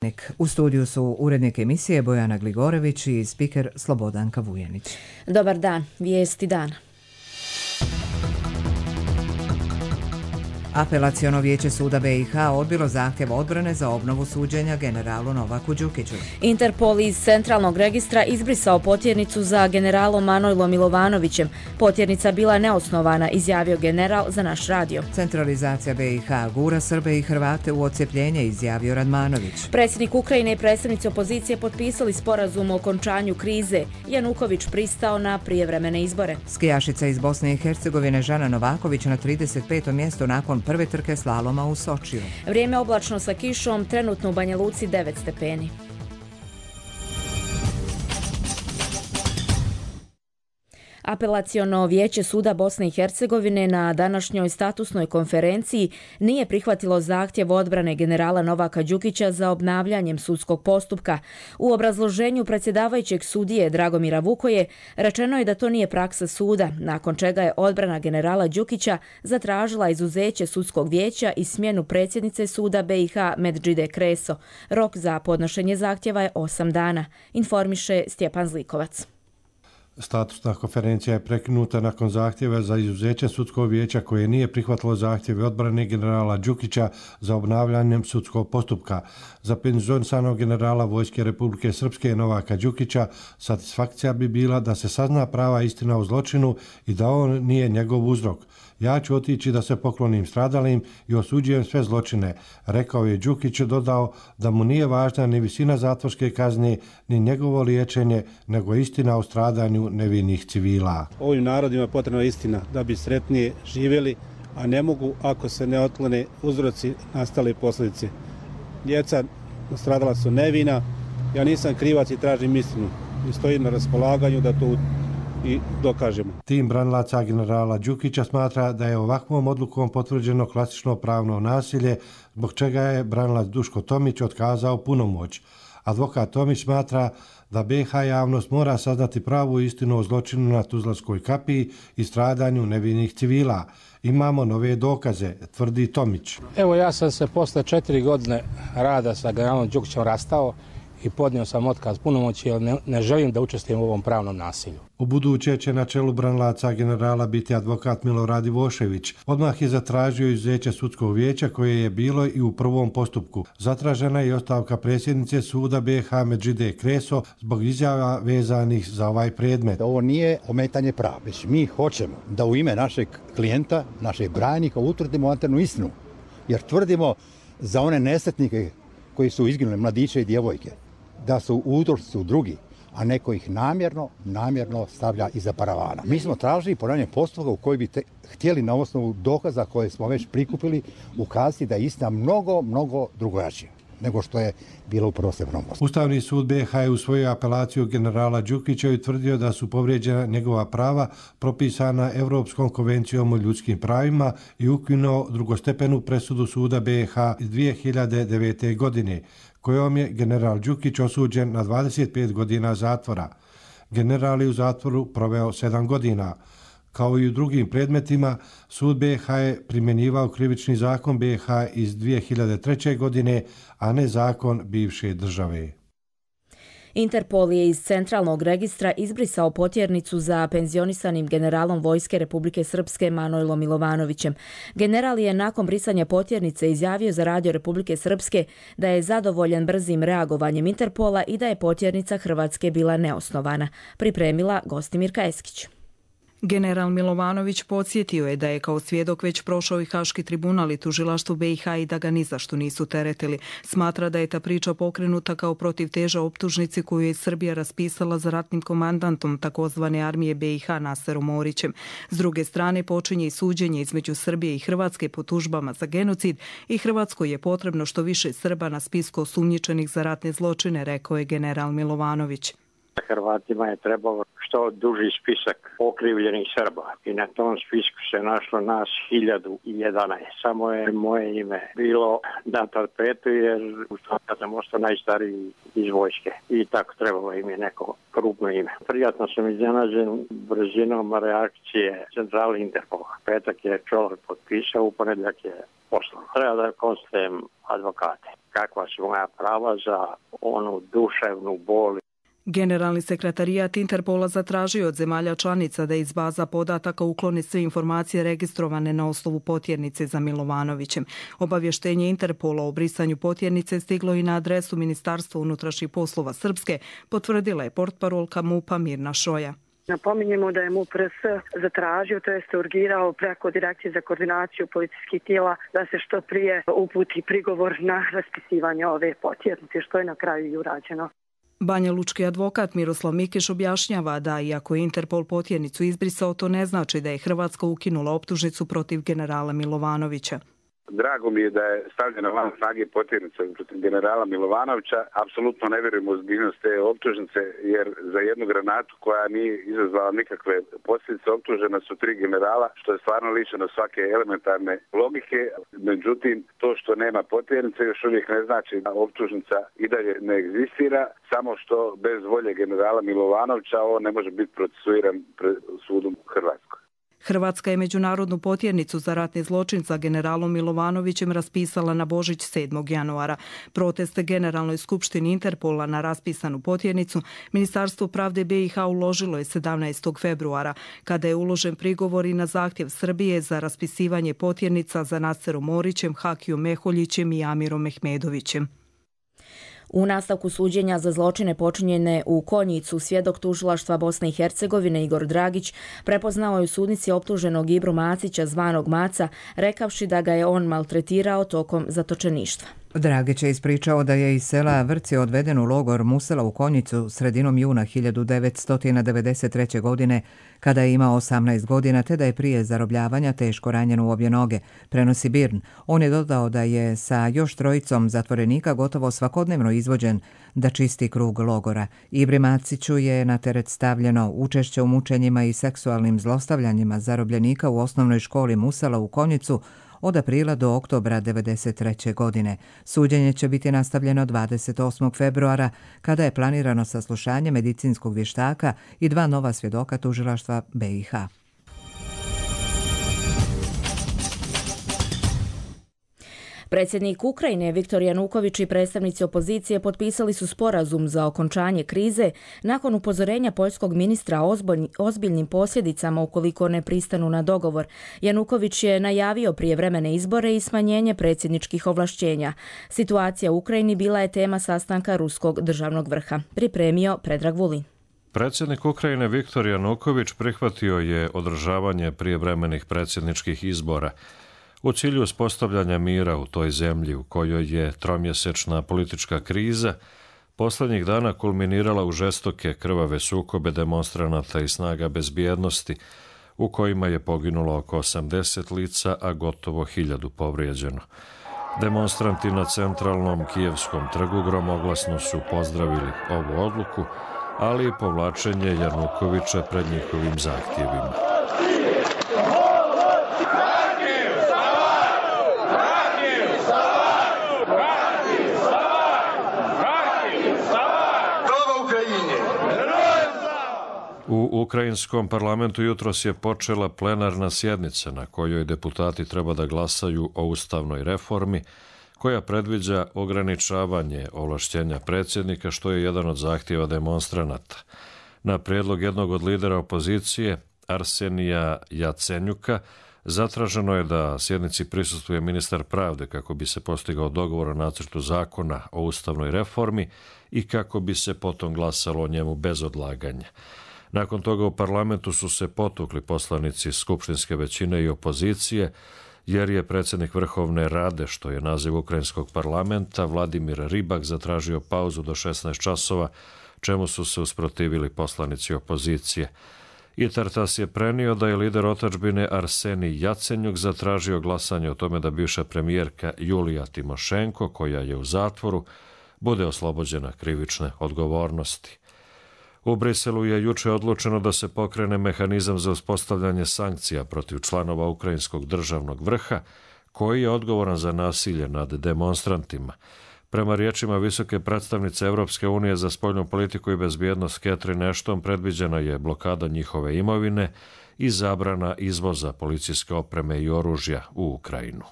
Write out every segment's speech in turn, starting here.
Vjesnik. U studiju su urednik emisije Bojana Gligorević i spiker Slobodanka Vujanić. Dobar dan, vijesti dana. Apelaciono vijeće suda BiH odbilo zahtjev odbrane za obnovu suđenja generalu Novaku Đukiću. Interpol iz centralnog registra izbrisao potjernicu za generalom Manojlom Milovanovićem. Potjernica bila neosnovana, izjavio general za naš radio. Centralizacija BiH gura Srbe i Hrvate u odcjepljenje, izjavio Radmanović. Predsjednik Ukrajine i predstavnici opozicije potpisali sporazum o okončanju krize. Januković pristao na prijevremene izbore. Skijašica iz Bosne i Hercegovine Žana Novaković na 35. mjestu nakon prve trke slaloma u Sočiju. Vrijeme oblačno sa kišom, trenutno u Banja Luci 9 stepeni. Apelaciono vijeće suda Bosne i Hercegovine na današnjoj statusnoj konferenciji nije prihvatilo zahtjev odbrane generala Novaka Đukića za obnavljanjem sudskog postupka. U obrazloženju predsjedavajućeg sudije Dragomira Vukoje rečeno je da to nije praksa suda, nakon čega je odbrana generala Đukića zatražila izuzeće sudskog vijeća i smjenu predsjednice suda BiH Medžide Kreso. Rok za podnošenje zahtjeva je 8 dana, informiše Stjepan Zlikovac. Statusna konferencija je prekinuta nakon zahtjeva za izuzeće sudskog vijeća koje nije prihvatilo zahtjeve odbrane generala Đukića za obnavljanjem sudskog postupka. Za penzionisanog generala Vojske Republike Srpske Novaka Đukića satisfakcija bi bila da se sazna prava istina o zločinu i da on nije njegov uzrok. Ja ću otići da se poklonim stradalim i osuđujem sve zločine, rekao je Đukić, dodao da mu nije važna ni visina zatvorske kazne, ni njegovo liječenje, nego istina o stradanju nevinih civila. Ovim narodima je potrebna istina da bi sretnije živjeli, a ne mogu ako se ne otklone uzroci nastale posljedice. Djeca nastradala su nevina, ja nisam krivac i tražim istinu i stojim na raspolaganju da to i dokažemo. Tim branilaca generala Đukića smatra da je ovakvom odlukom potvrđeno klasično pravno nasilje, zbog čega je branilac Duško Tomić otkazao punomoć. Advokat Tomić smatra da BiH javnost mora saznati pravu istinu o zločinu na Tuzlanskoj kapiji i stradanju nevinih civila. Imamo nove dokaze, tvrdi Tomić. Evo, ja sam se posle 4 godine rada sa generalom Đukićem rastao i podnio sam otkaz punomoći jer ne želim da učestvujem u ovom pravnom nasilju. U buduće će na čelu branilaca generala biti advokat Milorad Ivošević. Odmah je zatražio izuzeće sudskog vijeća koje je bilo i u prvom postupku. Zatražena je i ostavka predsjednice suda BiH Medžide Kreso zbog izjava vezanih za ovaj predmet. Ovo nije ometanje prava, već mi hoćemo da u ime našeg klijenta, našeg branjenika utvrdimo anternu istinu. Jer tvrdimo za one nesretnike koji su izginuli, mladiće i djevojke, da su uzroci drugi, a neko ih namjerno stavlja iza paravana. Mi smo tražili ponavljanje postupka u koji bi htjeli na osnovu dokaza koje smo već prikupili ukazati da je istina mnogo drugačija nego što je bilo u prvostepenom postupku. Ustavni sud BiH je usvojio apelaciju generala Đukića i utvrdio da su povrijeđena njegova prava propisana Europskom konvencijom o ljudskim pravima i ukinuo drugostepenu presudu suda BiH iz 2009. godine, kojom je general Đukić osuđen na 25 godina zatvora. General je u zatvoru proveo 7 godina. Kao i u drugim predmetima, sud BiH je primjenjivao krivični zakon BiH iz 2003. godine, a ne zakon bivše države. Interpol je iz centralnog registra izbrisao potjernicu za penzionisanim generalom Vojske Republike Srpske Manojlom Milovanovićem. General je nakon brisanja potjernice izjavio za radio Republike Srpske da je zadovoljan brzim reagovanjem Interpola i da je potjernica Hrvatske bila neosnovana. Pripremila Gostimirka Eskić. General Milovanović podsjetio je da je kao svjedok već prošao i Haški tribunal i tužilaštvo BiH i da ga ni zašto nisu teretili. Smatra da je ta priča pokrenuta kao protiv teža optužnici koju je Srbija raspisala za ratnim komandantom takozvane armije BiH Naserom Orićem. S druge strane počinje i suđenje između Srbije i Hrvatske po tužbama za genocid i Hrvatskoj je potrebno što više Srba na spisku osumnjičenih za ratne zločine, rekao je general Milovanović. Hrvatima je trebalo što duži spisak okrivljenih Srba i na tom spisku se našlo nas 1011. Samo je moje ime bilo na tapetu jer ja sam ostao najstariji iz vojske i tako trebalo im je neko krupno ime. Prijatno sam iznenađen brzinom reakcije centrale Interpola. Petak je čovjek potpisao, u ponedjeljak je poslao. Treba da konstatujem advokate. Kakva su moja prava za onu duševnu bol. Generalni sekretarijat Interpola zatražio od zemalja članica da iz baza podataka ukloni sve informacije registrovane na osnovu potjernice za Milovanovićem. Obavještenje Interpola o brisanju potjernice stiglo i na adresu Ministarstva unutrašnjih poslova Srpske, potvrdila je portparolka MUP-a Mirna Šoja. Napominjemo da je MUP RS zatražio, to jest urgirao preko Direkcije za koordinaciju policijskih tijela da se što prije uputi prigovor na raspisivanje ove potjernice, što je na kraju i urađeno. Banjalučki advokat Miroslav Mikiš objašnjava da iako je Interpol potjernicu izbrisao, to ne znači da je Hrvatska ukinula optužnicu protiv generala Milovanovića. Drago mi je da je stavljena van snage potjernica protiv generala Milovanovića. Apsolutno ne vjerujem u ozbiljnost te optužnice, jer za jednu granatu koja nije izazvala nikakve posljedice optužena su 3 generala, što je stvarno lišeno svake elementarne logike. Međutim, to što nema potjernice još uvijek ne znači da optužnica i dalje ne egzistira, samo što bez volje generala Milovanovića on ne može biti procesuiran pred sudom u Hrvatskoj. Hrvatska je međunarodnu potjernicu za ratni zločin sa generalom Milovanovićem raspisala na Božić 7. januara. Proteste Generalnoj skupštini Interpola na raspisanu potjernicu Ministarstvo pravde BiH uložilo je 17. februara, kada je uložen prigovor i na zahtjev Srbije za raspisivanje potjernica za Naserom Morićem, Hakijom Meholjićem i Amirom Mehmedovićem. U nastavku suđenja za zločine počinjene u Konjicu, svjedok tužilaštva Bosne i Hercegovine Igor Dragić prepoznao je u sudnici optuženog Ibru Macića zvanog Maca, rekavši da ga je on maltretirao tokom zatočeništva. Dragić je ispričao da je iz sela Vrci odveden u logor Musela u Konjicu sredinom juna 1993. godine, kada je imao 18 godina, te da je prije zarobljavanja teško ranjen u obje noge, prenosi BIRN. On je dodao da je sa još 3 zatvorenika gotovo svakodnevno izvođen da čisti krug logora. Ibri Maciću je na teret stavljeno učešće u mučenjima i seksualnim zlostavljanjima zarobljenika u osnovnoj školi Musela u Konjicu od aprila do oktobra 1993. godine. Suđenje će biti nastavljeno 28. februara, kada je planirano saslušanje medicinskog vještaka i 2 nova svjedoka tužilaštva BiH. Predsjednik Ukrajine Viktor Januković i predstavnici opozicije potpisali su sporazum za okončanje krize nakon upozorenja poljskog ministra o ozbiljnim posljedicama ukoliko ne pristanu na dogovor. Januković je najavio prijevremene izbore i smanjenje predsjedničkih ovlašćenja. Situacija u Ukrajini bila je tema sastanka ruskog državnog vrha. Pripremio Predrag Vulin. Predsjednik Ukrajine Viktor Januković prihvatio je održavanje prijevremenih predsjedničkih izbora u cilju uspostavljanja mira u toj zemlji u kojoj je tromjesečna politička kriza posljednjih dana kulminirala u žestoke krvave sukobe demonstranata i snaga bezbjednosti u kojima je poginulo oko 80 lica, a gotovo 1000 povrijeđeno. Demonstranti na centralnom kijevskom trgu gromoglasno su pozdravili ovu odluku, ali i povlačenje Janukovića pred njihovim zahtjevima. U ukrajinskom parlamentu jutros je počela plenarna sjednica na kojoj deputati treba da glasaju o ustavnoj reformi koja predviđa ograničavanje ovlašćenja predsjednika, što je jedan od zahtjeva demonstranata. Na prijedlog jednog od lidera opozicije, Arsenija Jacenjuka, zatraženo je da sjednici prisustvuje ministar pravde kako bi se postigao dogovor o nacrtu zakona o ustavnoj reformi i kako bi se potom glasalo o njemu bez odlaganja. Nakon toga u parlamentu su se potukli poslanici skupštinske većine i opozicije, jer je predsjednik Vrhovne Rade, što je naziv ukrajinskog parlamenta, Vladimir Ribak, zatražio pauzu do 16 časova, čemu su se usprotivili poslanici opozicije. I Tartas je prenio da je lider otadžbine Arsenij Jacenjuk zatražio glasanje o tome da bivša premijerka Julija Timošenko, koja je u zatvoru, bude oslobođena krivične odgovornosti. U Briselu je juče odlučeno da se pokrene mehanizam za uspostavljanje sankcija protiv članova ukrajinskog državnog vrha, koji je odgovoran za nasilje nad demonstrantima. Prema riječima visoke predstavnice Europske unije za spoljnu politiku i bezbjednost Catherine Ashton, predviđena je blokada njihove imovine i zabrana izvoza policijske opreme i oružja u Ukrajinu.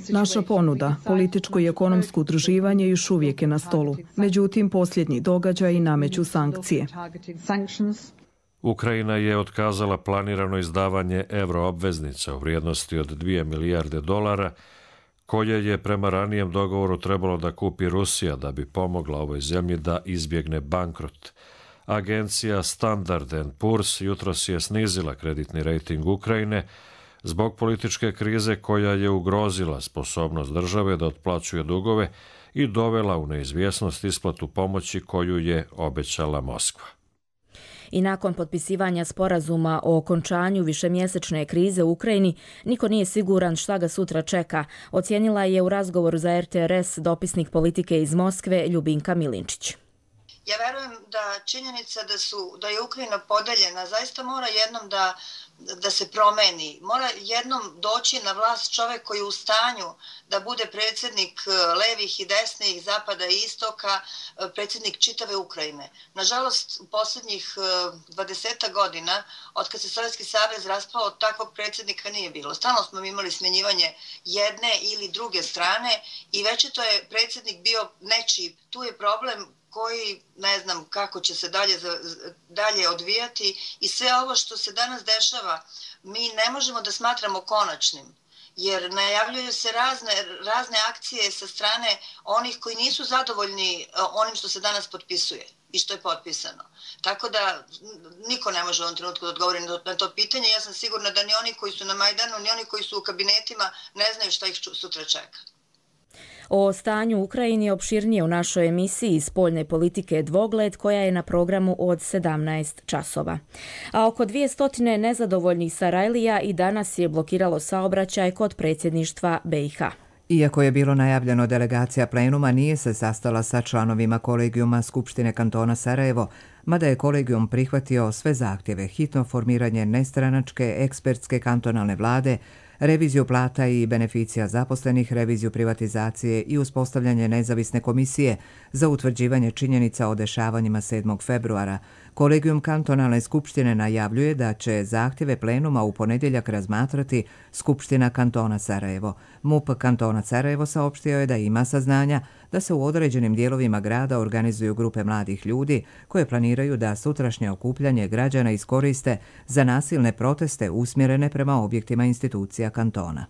Naša ponuda, političko i ekonomsko udruživanje još uvijek je na stolu. Međutim, posljednji događaji nameću sankcije. Ukrajina je otkazala planirano izdavanje euroobveznica u vrijednosti od $2 milijarde, koje je prema ranijem dogovoru trebalo da kupi Rusija da bi pomogla ovoj zemlji da izbjegne bankrot. Agencija Standard & Poor's jutros je snizila kreditni rejting Ukrajine zbog političke krize koja je ugrozila sposobnost države da otplaćuje dugove i dovela u neizvjesnost isplatu pomoći koju je obećala Moskva. I nakon potpisivanja sporazuma o okončanju višemjesečne krize u Ukrajini, niko nije siguran šta ga sutra čeka, ocijenila je u razgovoru za RTRS dopisnik politike iz Moskve Ljubinka Milinčić. Ja verujem da činjenica da je Ukrajina podeljena zaista mora jednom da se promeni. Mora jednom doći na vlast čovjek koji je u stanju da bude predsjednik levih i desnih, zapada i istoka, predsjednik čitave Ukrajine. Nažalost, u posljednjih 20 godina, od kad se Sovjetski savez raspao, takvog predsjednika nije bilo. Stalno smo imali smjenjivanje jedne ili druge strane i već je to je predsjednik bio nečiji. Tu je problem koji ne znam kako će se dalje odvijati i sve ovo što se danas dešava mi ne možemo da smatramo konačnim, jer najavljuju se razne akcije sa strane onih koji nisu zadovoljni onim što se danas potpisuje i što je potpisano. Tako da niko ne može u ovom trenutku da odgovori na to pitanje. Ja sam sigurna da ni oni koji su na Majdanu, ni oni koji su u kabinetima ne znaju šta ih sutra čeka. O stanju u Ukrajini opširnije u našoj emisiji Spoljne politike Dvogled, koja je na programu od 17 časova. A oko 200 nezadovoljnih Sarajlija i danas je blokiralo saobraćaj kod predsjedništva BiH. Iako je bilo najavljeno, delegacija plenuma nije se sastala sa članovima kolegijuma Skupštine kantona Sarajevo, mada je kolegijum prihvatio sve zahtjeve: hitno formiranje nestranačke ekspertske kantonalne vlade, reviziju plata i beneficija zaposlenih, reviziju privatizacije i uspostavljanje nezavisne komisije za utvrđivanje činjenica o dešavanjima 7. februara. Kolegijum kantonalne skupštine najavljuje da će zahtjeve plenuma u ponedjeljak razmatrati Skupština kantona Sarajevo. MUP kantona Sarajevo saopštio je da ima saznanja da se u određenim dijelovima grada organizuju grupe mladih ljudi koje planiraju da sutrašnje okupljanje građana iskoriste za nasilne proteste usmjerene prema objektima institucija kantona.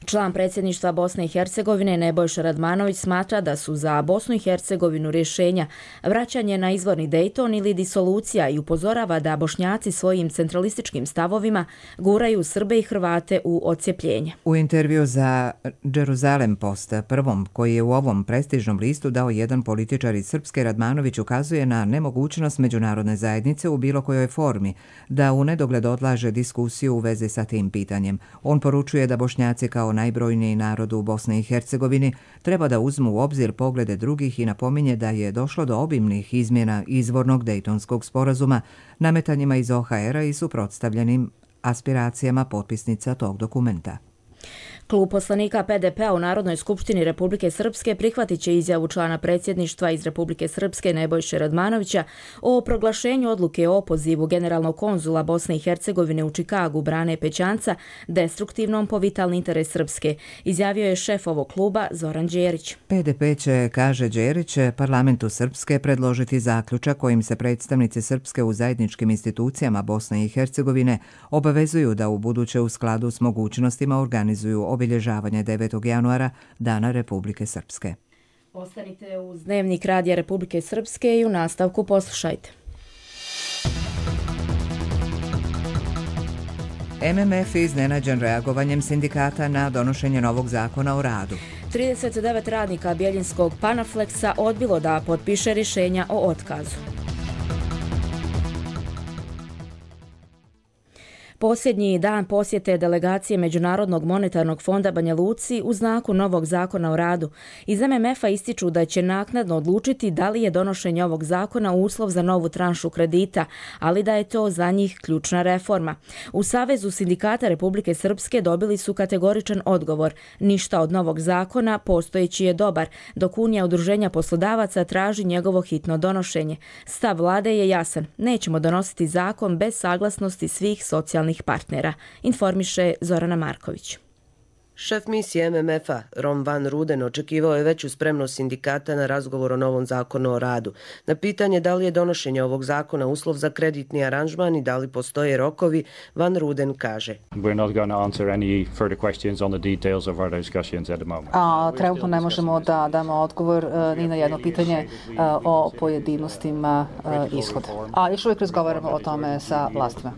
Član predsjedništva Bosne i Hercegovine Nebojša Radmanović smatra da su za Bosnu i Hercegovinu rješenja vraćanje na izvorni Dejton ili disolucija i upozorava da Bošnjaci svojim centralističkim stavovima guraju Srbe i Hrvate u odcjepljenje. U intervju za Jerusalem Post, prvom koji je u ovom prestižnom listu dao jedan političar iz Srpske, Radmanović ukazuje na nemogućnost međunarodne zajednice u bilo kojoj formi da u nedogled odlaže diskusiju u vezi sa tim pitanjem. On poručuje da Bošnjaci kao najbrojniji narod u Bosni i Hercegovini treba da uzmu u obzir poglede drugih i napominje da je došlo do obimnih izmjena izvornog Dejtonskog sporazuma, nametanjima iz OHR-a i suprotstavljenim aspiracijama potpisnica tog dokumenta. Klub poslanika PDP-a u Narodnoj skupštini Republike Srpske prihvatit će izjavu člana predsjedništva iz Republike Srpske Nebojše Radmanovića o proglašenju odluke o opozivu generalnog konzula Bosne i Hercegovine u Čikagu Brane Pećanca destruktivnom po vitalni interes Srpske, izjavio je šef ovog kluba Zoran Đerić. PDP će, kaže Đerić, parlamentu Srpske predložiti zaključak kojim se predstavnici Srpske u zajedničkim institucijama Bosne i Hercegovine obavezuju da u buduće u skladu s mogućnostima organizuju obilježavanje 9. januara, Dana Republike Srpske. Ostanite uz Dnevnik Radija Republike Srpske i u nastavku poslušajte. MMF iznenađen reagovanjem sindikata na donošenje novog zakona o radu. 39 radnika Bjeljinskog Panaflexa odbilo da potpiše rješenja o otkazu. Posljednji dan posjete delegacije Međunarodnog monetarnog fonda Banja Luci u znaku novog zakona o radu. Iz MMF-a ističu da će naknadno odlučiti da li je donošenje ovog zakona uslov za novu tranšu kredita, ali da je to za njih ključna reforma. U Savezu sindikata Republike Srpske dobili su kategoričan odgovor. Ništa od novog zakona, postojeći je dobar, dok Unija udruženja poslodavaca traži njegovo hitno donošenje. Stav vlade je jasan. Nećemo donositi zakon bez saglasnosti svih socijalnih partnera, informiše Zorana Marković. Šef misije MMF-a, Ron Van Ruden, očekivao je veću spremnost sindikata na razgovor o novom zakonu o radu. Na pitanje da li je donošenje ovog zakona uslov za kreditni aranžman i da li postoje rokovi, Van Ruden kaže: Trenutno ne možemo da damo odgovor ni na jedno pitanje o pojedinostima ishoda. Još uvijek razgovaramo o tome sa vlastima.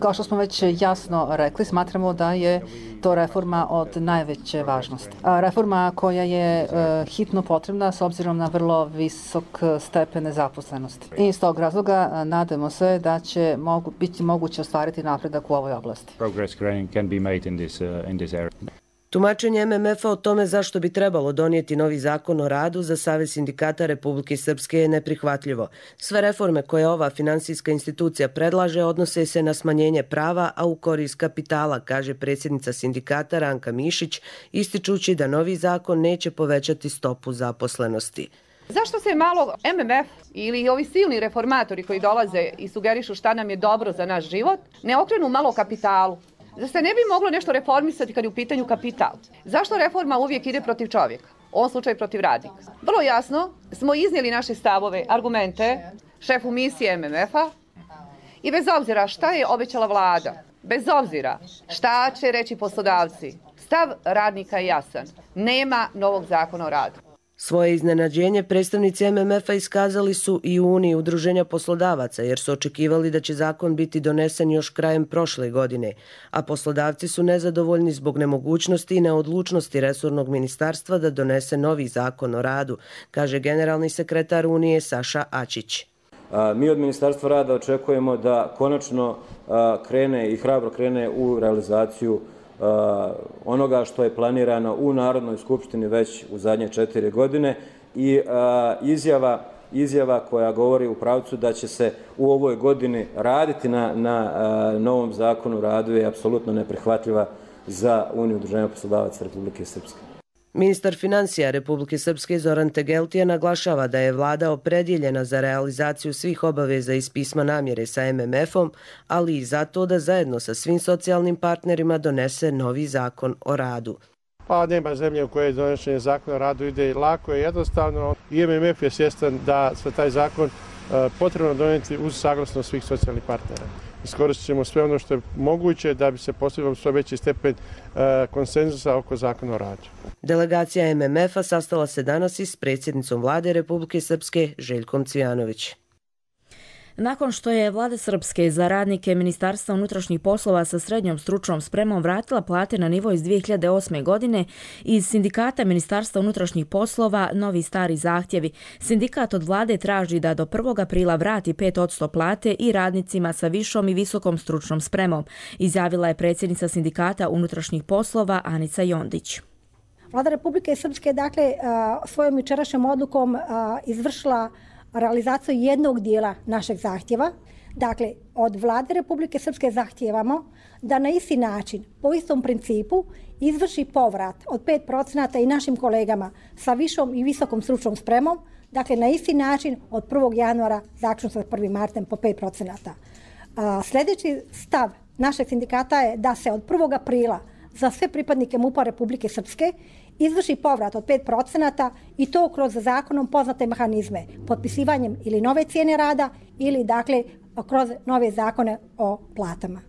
Kao što smo već jasno rekli, smatramo da je to reforma od najveće važnosti. Reforma koja je hitno potrebna s obzirom na vrlo visok stepen nezaposlenosti. I iz tog razloga nadamo se da će biti moguće ostvariti napredak u ovoj oblasti. Tumačenje MMF-a o tome zašto bi trebalo donijeti novi zakon o radu za Savez sindikata Republike Srpske je neprihvatljivo. Sve reforme koje ova finansijska institucija predlaže odnose se na smanjenje prava, a u korist kapitala, kaže predsjednica sindikata Ranka Mišić, ističući da novi zakon neće povećati stopu zaposlenosti. Zašto se malo MMF ili ovi silni reformatori koji dolaze i sugerišu šta nam je dobro za naš život, ne okrenu malo kapitalu? Zašto se ne bi moglo nešto reformisati kad je u pitanju kapital? Zašto reforma uvijek ide protiv čovjeka? U ovom slučaju protiv radnika. Vrlo jasno smo iznijeli naše stavove, argumente šefu misije MMF-a i bez obzira šta je obećala vlada, bez obzira šta će reći poslodavci, stav radnika je jasan. Nema novog zakona o radu. Svoje iznenađenje predstavnici MMF-a iskazali su i u Uniji udruženja poslodavaca jer su očekivali da će zakon biti donesen još krajem prošle godine, a poslodavci su nezadovoljni zbog nemogućnosti i neodlučnosti resornog ministarstva da donese novi zakon o radu, kaže generalni sekretar Unije Saša Ačić. Mi od Ministarstva rada očekujemo da konačno krene i hrabro krene u realizaciju onoga što je planirano u Narodnoj skupštini već u zadnje 4 godine i izjava koja govori u pravcu da će se u ovoj godini raditi na novom zakonu o radu je apsolutno neprihvatljiva za Uniju udruženja poslodavaca Republike Srpske. Ministar financija Republike Srpske Zoran Tegeltija naglašava da je vlada opredjeljena za realizaciju svih obaveza iz pisma namjere sa MMF-om, ali i zato da zajedno sa svim socijalnim partnerima donese novi zakon o radu. Pa nema zemlje u kojoj donošenje zakona o radu ide lako i jednostavno. I MMF je svjestan da se taj zakon potrebno donijeti uz saglasnost svih socijalnih partnera. Iskoristit ćemo sve ono što je moguće da bi se postigao što veći stepen konsenzusa oko zakona o radu. Delegacija MMF-a sastala se danas i s predsjednicom vlade Republike Srpske Željkom Cvijanović. Nakon što je vlada Srpske za radnike Ministarstva unutrašnjih poslova sa srednjom stručnom spremom vratila plate na nivo iz 2008. godine, iz sindikata Ministarstva unutrašnjih poslova novi stari zahtjevi. Sindikat od vlade traži da do 1. aprila vrati 5% plate i radnicima sa višom i visokom stručnom spremom, izjavila je predsjednica sindikata unutrašnjih poslova Anica Jondić. Vlada Republike Srpske svojom jučerašnjom odlukom izvršila realizaciju jednog dijela našeg zahtjeva. Dakle, od vlade Republike Srpske zahtijevamo da na isti način, po istom principu, izvrši povrat od 5% i našim kolegama sa višom i visokom stručnom spremom, dakle na isti način od 1. januara zaključno sa 1. martem po 5%. Sljedeći stav našeg sindikata je da se od 1. aprila za sve pripadnike MUP-a Republike Srpske izvrši povrat od 5% i to kroz zakonom poznate mehanizme, potpisivanjem ili nove cijene rada ili kroz nove zakone o platama.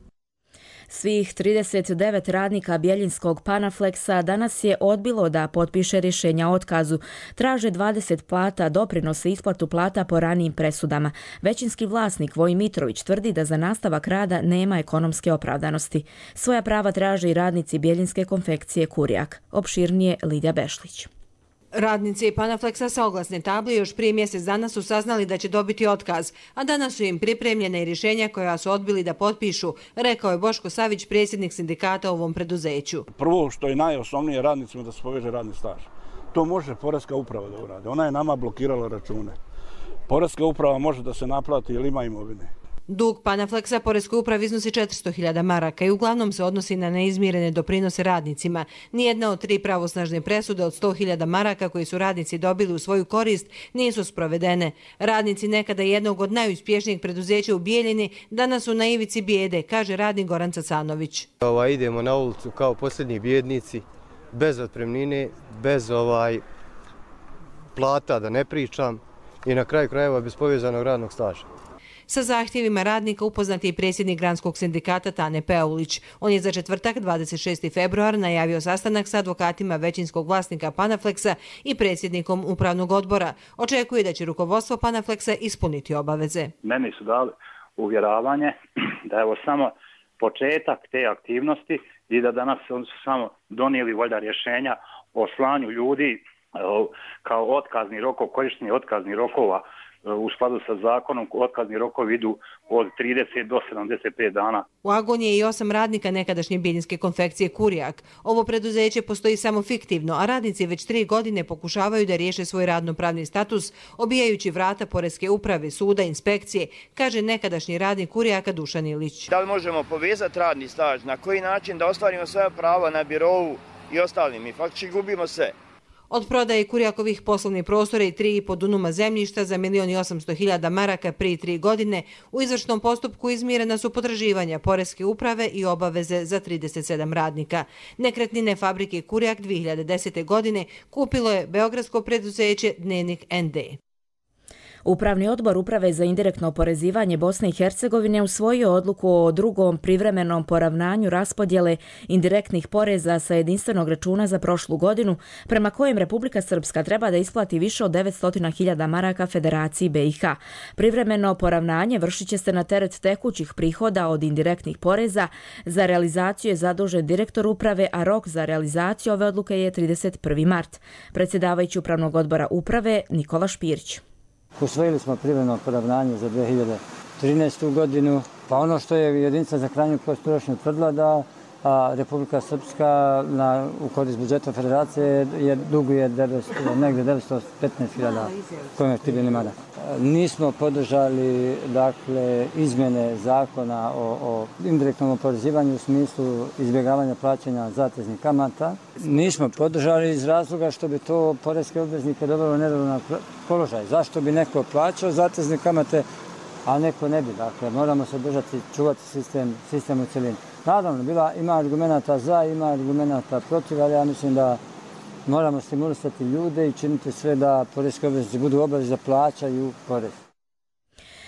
Svih 39 radnika Bjeljinskog Panaflexa danas je odbilo da potpiše rješenja o otkazu. Traže 20 plata, doprinose isplatu plata po ranijim presudama. Većinski vlasnik Vojin Mitrović tvrdi da za nastavak rada nema ekonomske opravdanosti. Svoja prava traže i radnici Bjeljinske konfekcije Kurjak. Opširnije Lidija Bešlić. Radnici Panaflexa sa oglasne table još prije mjesec dana su saznali da će dobiti otkaz, a danas su im pripremljene i rješenja koja su odbili da potpišu, rekao je Boško Savić, predsjednik sindikata u ovom preduzeću. Prvo što je najosnovnije radnicima da se poveže radni staž. To može Poreska uprava da urade. Ona je nama blokirala račune. Poreska uprava može da se naplati ili ima imovine. Dug Panaflexa Poreskoj upravi iznosi 400.000 maraka i uglavnom se odnosi na neizmirene doprinose radnicima. Nijedna od 3 pravosnažne presude od 100.000 maraka koji su radnici dobili u svoju korist nisu sprovedene. Radnici nekada jednog od najuspješnijeg preduzeća u Bijeljini danas su na ivici bijede, kaže radnik Goran Cacanović. Idemo na ulicu kao posljednji bijednici, bez otpremnine, bez plata, da ne pričam, i na kraju krajeva bez povezanog radnog staža. Sa zahtjevima radnika upoznat je i predsjednik Granskog sindikata Tane Peulić. On je za četvrtak 26. februar najavio sastanak sa advokatima većinskog vlasnika Panaflexa i predsjednikom upravnog odbora. Očekuje da će rukovodstvo Panaflexa ispuniti obaveze. Meni su dali uvjeravanje da je ovo samo početak te aktivnosti i da danas su samo donijeli valjda rješenja o slanju ljudi kao otkazni rokov, korištenje otkaznih rokova u skladu sa zakonom. Otkazni rokovi idu od 30 do 75 dana. U agoniji je i 8 radnika nekadašnje bijeljinske konfekcije Kurijak. Ovo preduzeće postoji samo fiktivno, a radnici već 3 godine pokušavaju da riješe svoj radnopravni status, obijajući vrata Poreske uprave, suda, inspekcije, kaže nekadašnji radnik Kurijaka Dušan Ilić. Da li možemo povezati radni staž, na koji način da ostvarimo svoja prava na birovu i ostalim? Mi faktički gubimo sve. Od prodaje Kurijakovih poslovnih prostora i 3,5 dunuma zemljišta za 1.800.000 maraka prije 3 godine u izvršnom postupku izmirena su potraživanja Poreske uprave i obaveze za 37 radnika. Nekretnine fabrike Kurijak 2010. godine kupilo je beogradsko preduzeće Dnevnik ND. Upravni odbor Uprave za indirektno oporezivanje Bosne i Hercegovine usvojio odluku o drugom privremenom poravnanju raspodjele indirektnih poreza sa jedinstvenog računa za prošlu godinu, prema kojem Republika Srpska treba da isplati više od 900.000 maraka Federaciji BiH. Privremeno poravnanje vršit će se na teret tekućih prihoda od indirektnih poreza. Za realizaciju je zadužen direktor uprave, a rok za realizaciju ove odluke je 31. mart. Predsjedavajući Upravnog odbora Uprave Nikola Špirić. Usvojili smo privremeno poravnanje za 2013. godinu, pa ono što je jedinica za krajnju potrošnju utvrdila da Republika Srpska u korist budžeta Federacije duguje negdje 915.000 konvertibilnih maraka. Nismo podržali izmjene zakona o indirektnom oporezivanju u smislu izbjegavanja plaćanja zateznih kamata. Nismo podržali iz razloga što bi to poreske obveznike dovelo u neravnopravan položaj. Zašto bi neko plaćao zatezne kamate, a neko ne bi? Dakle, moramo se držati, čuvati sistem u cjelini. Naravno, ima argumenta za, ima argumenta protiv, ali ja mislim da moramo stimulisati ljude i činiti sve da poreske obveznici budu obavezni da plaćaju porez.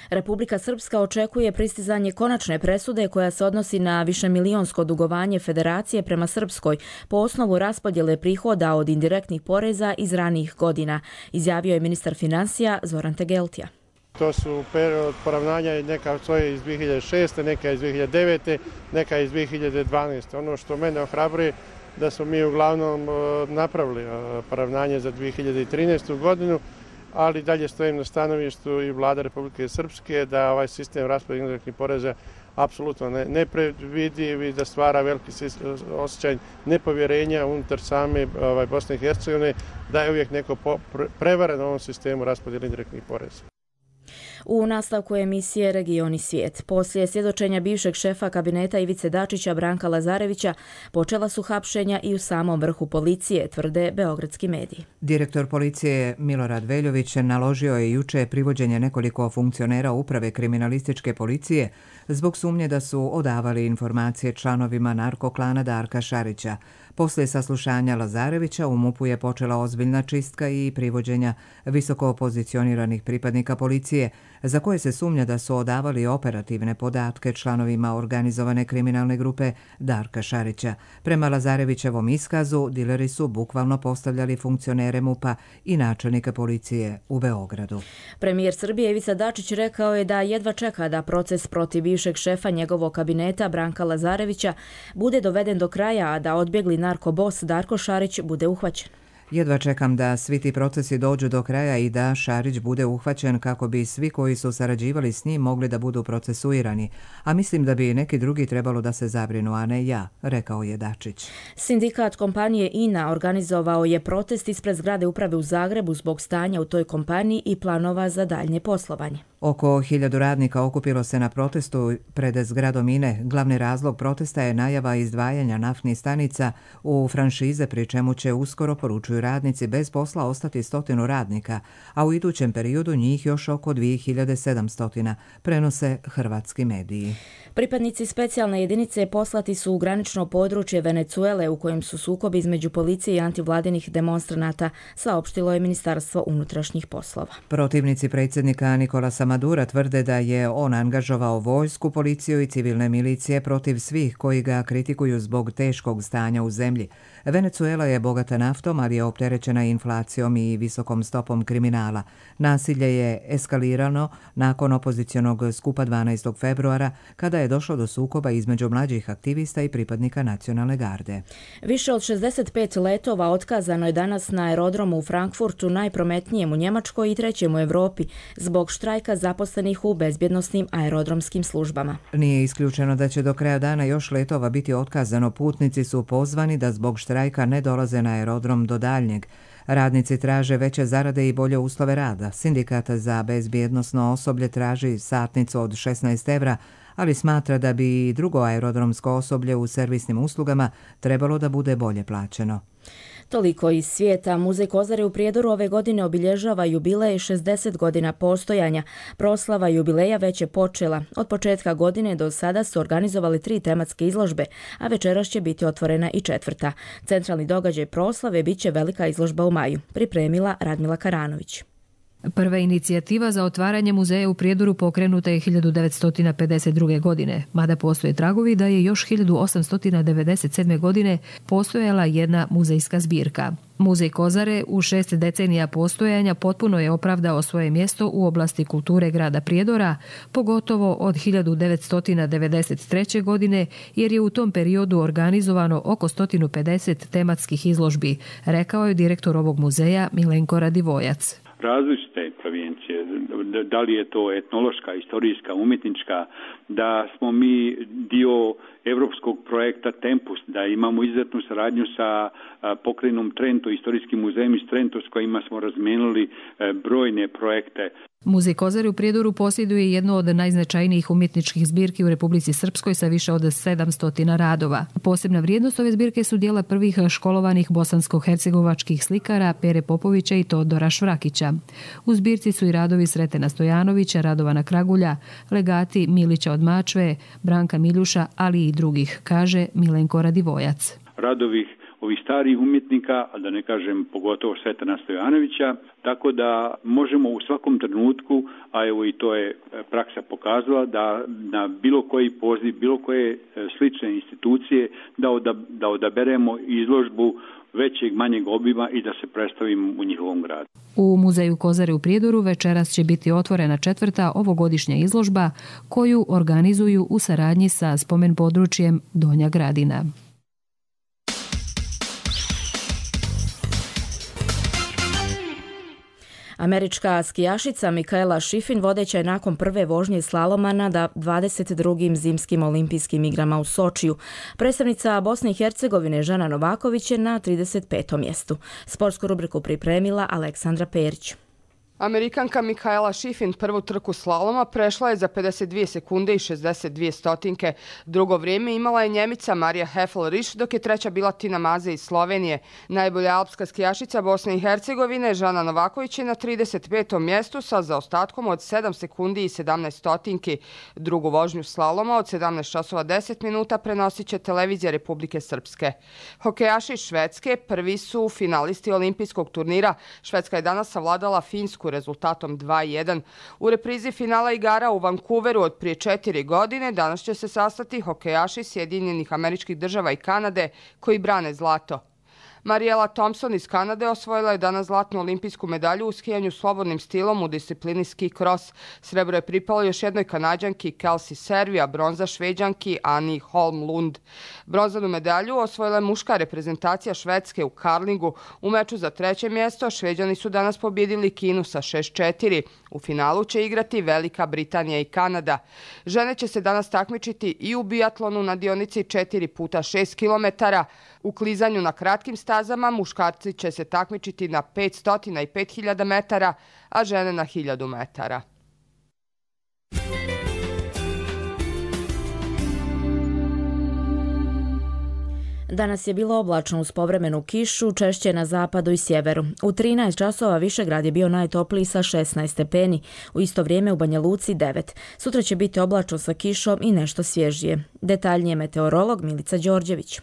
Republika Srpska očekuje pristizanje konačne presude koja se odnosi na višemilijonsko dugovanje Federacije prema Srpskoj po osnovu raspodjele prihoda od indirektnih poreza iz ranijih godina, izjavio je ministar financija Zoran Tegeltija. To su period poravnanja, neka stoje iz 2006. neka iz 2009. neka iz 2012. Ono što mene ohrabruje da smo mi uglavnom napravili poravnanje za 2013. godinu, ali dalje stojim na stanovištu i vlada Republike Srpske da ovaj sistem raspodjele indirektnih poreza apsolutno nepredvidiv i da stvara veliki osjećaj nepovjerenja unutar same Bosne i Hercegovine, da je uvijek neko prevaren u ovom sistemu raspodjele indirektnih poreza. U nastavku emisije Regioni svijet. Poslije svjedočenja bivšeg šefa kabineta Ivice Dačića Branka Lazarevića počela su hapšenja i u samom vrhu policije, tvrde beogradski mediji. Direktor policije Milorad Veljović naložio je juče privođenje nekoliko funkcionera uprave kriminalističke policije zbog sumnje da su odavali informacije članovima narkoklana Darka Šarića. Poslije saslušanja Lazarevića u MUP-u je počela ozbiljna čistka i privođenja visoko pozicioniranih pripadnika policije, za koje se sumnja da su odavali operativne podatke članovima organizovane kriminalne grupe Darka Šarića. Prema Lazarevićevom iskazu, dileri su bukvalno postavljali funkcionere MUP-a i načelnika policije u Beogradu. Premijer Srbije Ivica Dačić rekao je da jedva čeka da proces protiv bivšeg šefa njegovog kabineta Branka Lazarevića bude doveden do kraja, a da odbjegli narkobos Darko Šarić bude uhvaćen. Jedva čekam da svi ti procesi dođu do kraja i da Šarić bude uhvaćen kako bi svi koji su sarađivali s njim mogli da budu procesuirani, a mislim da bi neki drugi trebalo da se zabrinu, a ne ja, rekao je Dačić. Sindikat kompanije INA organizovao je protest ispred zgrade uprave u Zagrebu zbog stanja u toj kompaniji i planova za daljnje poslovanje. Oko 1000 radnika okupilo se na protestu pred zgradom INE. Glavni razlog protesta je najava izdvajanja naftnih stanica u franšize, pri čemu će uskoro, poručuju radnici, bez posla ostati 100 radnika, a u idućem periodu njih još oko 2700, prenose hrvatski mediji. Pripadnici specijalne jedinice poslati su u granično područje Venecuele u kojem su sukobi između policije i antivladinih demonstranata, saopštilo je Ministarstvo unutrašnjih poslova. Protivnici predsjednika Nicolasa Madura tvrde da je on angažovao vojsku, policiju i civilne milicije protiv svih koji ga kritikuju zbog teškog stanja u zemlji. Venecuela je bogata naftom, ali je opterećena inflacijom i visokom stopom kriminala. Nasilje je eskalirano nakon opozicionog skupa 12. februara, kada je došlo do sukoba između mlađih aktivista i pripadnika nacionalne garde. Više od 65 letova otkazano je danas na aerodromu u Frankfurtu, najprometnijem u Njemačkoj i trećem u Europi, zbog štrajka zaposlenih u bezbjednosnim aerodromskim službama. Nije isključeno da će do kraja dana još letova biti otkazano. Putnici su pozvani da zbog štrajka ne dolaze na aerodrom do daljnjeg. Radnici traže veće zarade i bolje uslove rada. Sindikat za bezbjednosno osoblje traži satnicu od 16 evra, ali smatra da bi drugo aerodromsko osoblje u servisnim uslugama trebalo da bude bolje plaćeno. Toliko iz svijeta. Muzej Kozare u Prijedoru ove godine obilježava jubilej 60 godina postojanja. Proslava jubileja već je počela. Od početka godine do sada su organizovali 3 tematske izložbe, a večeras će biti otvorena i 4. Centralni događaj proslave bit će velika izložba u maju, pripremila Radmila Karanović. Prva inicijativa za otvaranje muzeja u Prijedoru pokrenuta je 1952. godine, mada postoje tragovi da je još 1897. godine postojala jedna muzejska zbirka. Muzej Kozare u 6 decenija postojanja potpuno je opravdao svoje mjesto u oblasti kulture grada Prijedora, pogotovo od 1993. godine, jer je u tom periodu organizovano oko 150 tematskih izložbi, rekao je direktor ovog muzeja Milenko Radivojac. Različite provincije, da li je to etnološka, istorijska, umjetnička, da smo mi dio evropskog projekta Tempus, da imamo izuzetnu saradnju sa pokrajinom Trento, istorijskim muzejem iz Trento s kojima smo razmenili brojne projekte. Muzej Kozare u Prijedoru posjeduje jednu od najznačajnijih umjetničkih zbirki u Republici Srpskoj sa više od 700 radova. Posebna vrijednost ove zbirke su dijela prvih školovanih bosansko-hercegovačkih slikara Pere Popovića i Todora Švrakića. U zbirci su i radovi Sretena Stojanovića, Radovana Kragulja, legati Milića od Mačve, Branka Miljuša, ali i drugih, kaže Milenko Radivojac. Radovi ovih starih umjetnika, a da ne kažem pogotovo Sretena Stojanovića, tako da možemo u svakom trenutku, a evo i to je praksa pokazala, da na bilo koji poziv, bilo koje slične institucije, da odaberemo izložbu većeg, manjeg obima i da se predstavimo u njihovom gradu. U Muzeju Kozare u Prijedoru večeras će biti otvorena 4. ovogodišnja izložba koju organizuju u saradnji sa spomen područjem Donja Gradina. Američka skijašica Mikaela Shiffrin vodeća je nakon prve vožnje slaloma na 22. zimskim olimpijskim igrama u Sočiju. Predstavnica Bosne i Hercegovine Žana Novaković je na 35. mjestu. Sportsku rubriku pripremila Aleksandra Perić. Amerikanka Mikaela Shiffrin prvu trku slaloma prešla je za 52 sekunde i 62 stotinke. Drugo vrijeme imala je Njemica Marija Hefel-Riš, dok je treća bila Tina Maze iz Slovenije. Najbolja alpska skijašica Bosne i Hercegovine Žana Novaković je na 35. mjestu sa zaostatkom od 7 sekundi i 17 stotinki. Drugu vožnju slaloma od 17 časova 10 minuta prenosit će televizija Republike Srpske. Hokejaši Švedske prvi su finalisti olimpijskog turnira. Švedska je danas savladala Finsku rezultatom 2:1. U reprizi finala igara u Vancouveru od prije 4 godine danas će se sastati hokejaši Sjedinjenih Američkih Država i Kanade koji brane zlato. Mariela Thompson iz Kanade osvojila je danas zlatnu olimpijsku medalju u skijanju slobodnim stilom u disciplini ski cross. Srebro je pripalo još jednoj Kanađanki Kelsey Servi, a bronza Šveđanki Ani Holmlund. Bronzanu medalju osvojila je muška reprezentacija Švedske u karlingu. U meču za treće mjesto Šveđani su danas pobjedili Kinu sa 6-4. U finalu će igrati Velika Britanija i Kanada. Žene će se danas takmičiti i u biatlonu na dionici 4x6 km. U klizanju na kratkim stazama muškarci će se takmičiti na 500 i 5000 metara, a žene na 1000 metara. Danas je bilo oblačno uz povremenu kišu, češće na zapadu i sjeveru. U 13 časova Višegrad je bio najtopliji sa 16 stepeni, u isto vrijeme u Banja Luci 9. Sutra će biti oblačno sa kišom i nešto svježije. Detaljnije meteorolog Milica Đorđević.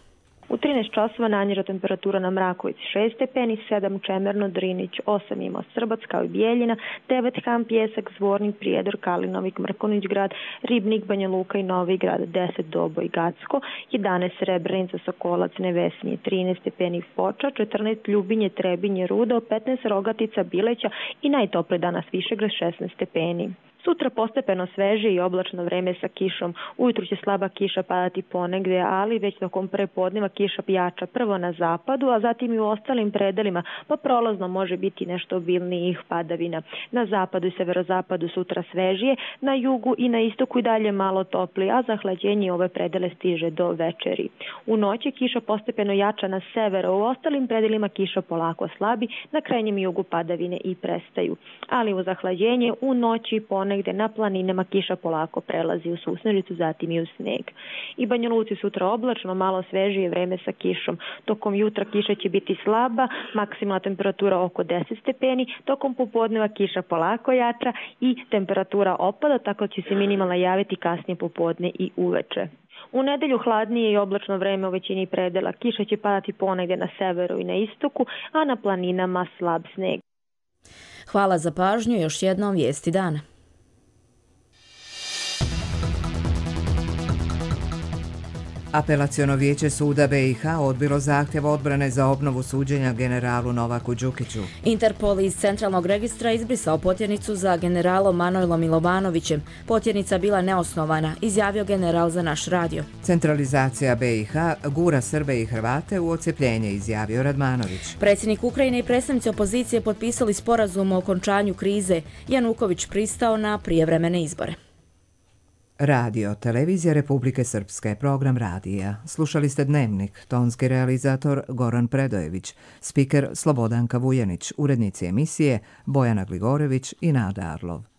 U 13 časova najniža temperatura na Mrakovici 6 stepeni, 7 Čemerno, Drinić, 8 Imao Srbac kao i Bijeljina, 9 Ham, Pjesak, Zvornik, Prijedor, Kalinovik, Mrkonić grad, Ribnik, Banja Luka i Novi grad, 10 Doboj, Gacko, 11 Srebrenica, Sokolac, Nevesinje, 13 stepeni Foča, 14 Ljubinje, Trebinje, Rudo, 15 Rogatica, Bileća i najtopliji danas Višegrad 16 stepeni. Sutra postepeno sveže i oblačno vreme sa kišom. Ujutru će slaba kiša padati ponegdje, ali već tokom prepodneva kiša jača prvo na zapadu, a zatim i u ostalim predelima, pa prolazno može biti nešto obilnijih padavina. Na zapadu i severozapadu sutra svežije, na jugu i na istoku i dalje malo topli, a zahlađenje ove predele stiže do večeri. U noći kiša postepeno jača na severu, u ostalim predelima kiša polako slabi, na krajnjem jugu padavine i prestaju. Ali u zahlađenje u noći ponegde na planinama kiša polako prelazi u susnežicu, zatim i u sneg. I Banja Luci sutra oblačno, malo svežije vreme sa kišom. Tokom jutra kiša će biti slaba, maksimalna temperatura oko 10 stepeni, tokom popodneva kiša polako jača i temperatura opada, tako će se minimalna javiti kasnije popodne i uveče. U nedelju hladnije i oblačno vreme u većini predela. Kiša će padati ponegde na severu i na istoku, a na planinama slab sneg. Hvala za pažnju, još jednom vijesti dana. Apelaciono vijeće suda BiH odbilo zahtjev odbrane za obnovu suđenja generalu Novaku Đukiću. Interpol iz centralnog registra izbrisao potjernicu za generalom Manojlom Milovanovićem. Potjernica bila neosnovana, izjavio general za naš radio. Centralizacija BiH gura Srbe i Hrvate u odcepljenje, izjavio Radmanović. Predsjednik Ukrajine i predstavnici opozicije potpisali sporazum o okončanju krize. Januković pristao na prijevremene izbore. Radio, televizija Republike Srpske, program radija. Slušali ste Dnevnik, tonski realizator Goran Predojević, spiker Slobodanka Vujanić, urednici emisije Bojana Gligorević i Nada Arlov.